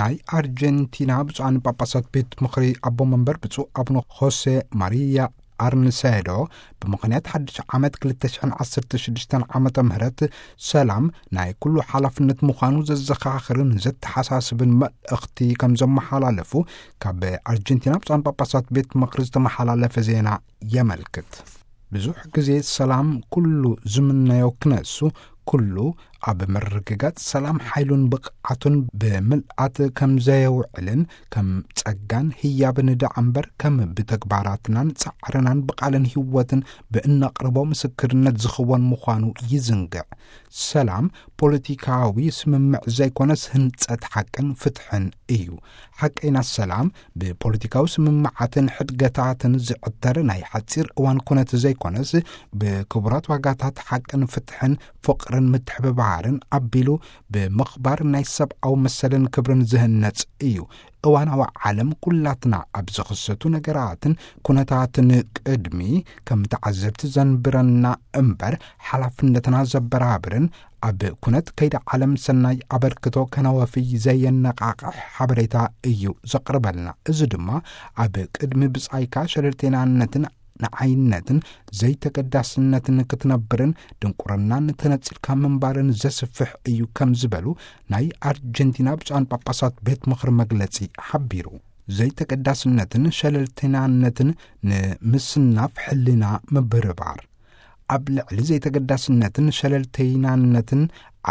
ናይ ኣርጀንቲና ብፁዓን ጳጳሳት ቤት ምኽሪ ኣቦ መንበር ብፁዕ ኣቡነ ሆሴ ማሪያ ኣርንሴዶ፣ ብምኽንያት ሓድሽ ዓመት ክልተ ሽሕን ዓሰርተ ሽዱሽተን ዓመተ ምህረት ሰላም ናይ ኩሉ ሓላፍነት ምዃኑ ዘዘኻኽርን ዘተሓሳስብን መልእኽቲ ከም ዘመሓላለፉ ካብ ኣርጀንቲና ብፁዓን ጳጳሳት ቤት ምኽሪ ዝተመሓላለፈ ዜና የመልክት። ብዙሕ ግዜ ሰላም ኩሉ ዝምነዮ ክነሱ፣ ኩሉ ኣብ ምርግጋጽ ሰላም ሓይሉን ብቕዓቱን ብምልኣት ከም ዘየውዕልን ከም ጸጋን ህያብን ደኣ እምበር ከም ብተግባራትናን ጻዕርናን ብቓልን ህይወትን ብእነቕርቦ ምስክርነት ዝኽወን ምዃኑ ይዝንግዕ። ሰላም ፖለቲካዊ ስምምዕ ዘይኮነስ ህንጸት ሓቅን ፍትሕን እዩ። ሓቀይና ሰላም ብፖለቲካዊ ስምምዓትን ሕድገታትን ዝዕተር ናይ ሓጺር እዋን ኩነት ዘይኮነስ፣ ብክቡራት ዋጋታት ሓቅን ፍትሕን ፍቕርን ምትሕብባርን ኣቢሉ ብምኽባር ናይ ሰብኣዊ መሰልን ክብርን ዝህነጽ እዩ። እዋናዊ ዓለም ኩላትና ኣብ ዝኽሰቱ ነገራትን ኩነታትን ቅድሚ ከም ተዓዘብቲ ዘንብረና እምበር ሓላፍነትና ዘበራብርን ኣብ ኩነት ከይዲ ዓለም ሰናይ ኣበርክቶ ከነወፊ ዘየነቓቕሕ ሓበሬታ እዩ ዘቕርበልና። እዚ ድማ ኣብ ቅድሚ ብጻይካ ሸለልተይናነትን ንዓይነትን ዘይተገዳስነትን ክትነብርን ድንቁርናን ተነጺልካ ምንባርን ዘስፍሕ እዩ ከም ዝበሉ ናይ ኣርጀንቲና ብፁዓን ጳጳሳት ቤት ምኽሪ መግለጺ ሓቢሩ። ዘይተገዳስነትን ሸለልተይናነትን ንምስናፍ ሕልና ምብርባር። ኣብ ልዕሊ ዘይተገዳስነትን ሸለልተይናነትን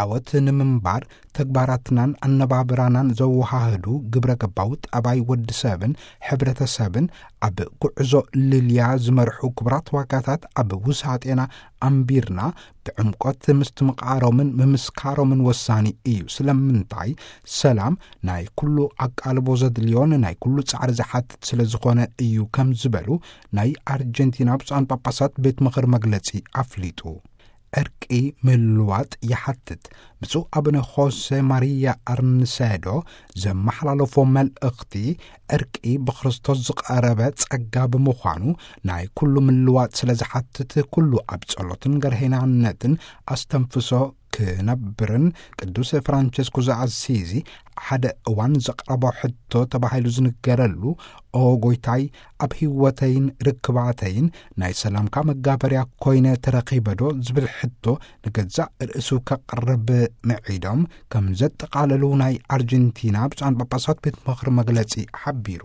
ዓወት ንምንባር ተግባራትናን ኣነባብራናን ዘወሃህዱ ግብረ ገባዊ ጠባይ ወዲ ሰብን ሕብረተሰብን ኣብ ጉዕዞ ልልያ ዝመርሑ ክቡራት ዋጋታት ኣብ ውሳጤና ኣንቢርና ብዕምቆት ምስትምቓሮምን ምምስካሮምን ወሳኒ እዩ። ስለምንታይ? ሰላም ናይ ኩሉ ኣቃልቦ ዘድልዮን ናይ ኩሉ ጻዕሪ ዝሓትት ስለ ዝኾነ እዩ ከም ዝበሉ ናይ ኣርጀንቲና ብፁዓን ጳጳሳት ቤት ምኽሪ መግለጺ ኣፍሊጡ። ዕርቂ ምልዋጥ ይሓትት። ብፁዕ ኣቡነ ሆሴ ማሪያ ኣርንሴዶ ዘመሓላለፎ መልእኽቲ፣ ዕርቂ ብክርስቶስ ዝቐረበ ጸጋ ብምዃኑ፣ ናይ ኩሉ ምልዋጥ ስለ ዝሓትት፣ ኩሉ ኣብ ጸሎትን ገርሄናነትን ኣስተንፍሶ ክነብርን፣ ቅዱስ ፍራንቸስኮ ዘኣሲዚ ሓደ እዋን ዘቕረቦ ሕቶ ተባሂሉ ዝንገረሉ፣ "ኦ ጎይታይ፣ ኣብ ህይወተይን ርክባተይን ናይ ሰላምካ መጋበርያ ኮይነ ተረኺበ ዶ?" ዝብል ሕቶ ንገዛእ ርእሱ ከቕርብ ምዒዶም ከም ዘጠቓለሉ ናይ ኣርጀንቲና ብፁዓን ጳጳሳት ቤት ምኽሪ መግለጺ ሓቢሩ።